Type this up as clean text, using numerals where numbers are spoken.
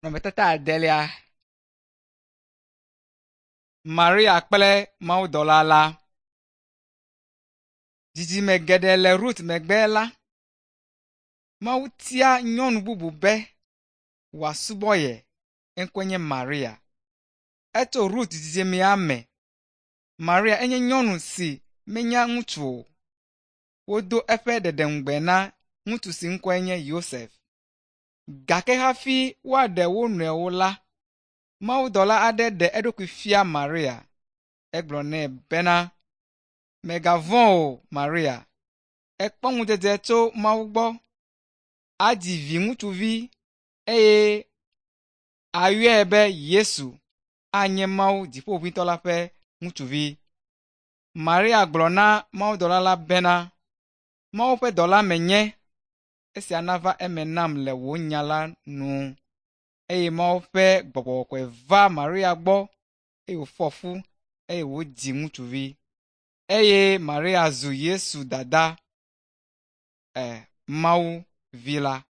Nɔnɔmetata adelia. Maria kple mawudɔla la. Dzidzime geɖe le Rut megbe la, Mawu tia nyɔnu bubu be wòasubɔ ye. Eŋkɔe nye Maria. Etso Rut dzidzimea me. Maria enye nyɔnu si menya ŋutsu o. Wodo eƒe ɖeɖeŋugbe na ŋutsu si ŋkɔe nye Yosef. Gake hafi woaɖe wo nɔewo la, mawudɔla aɖe ɖe eɖokui fia Maria. Egblɔ nɛ bena, “Mègavɔ̃ o, Maria. Èkpɔ ŋudzedze tso Mawu gbɔ. Adzi viŋutsuvi eye àyɔe be Yesu. Anye Mawu Dziƒoʋĩtɔ la ƒe ŋutsuvi.” Maria gblɔ na mawudɔla la bena, “Mawu ƒe dɔla menye. Esia nava eme nam le wò nya la nu.” Eye Mawu ƒe gbɔgbɔ kɔkɔe va Maria gbɔ eye wòfɔ fu eye wòdzi ŋutsuvi. Eye Maria zu Yesu dada, e, Mawu vi la.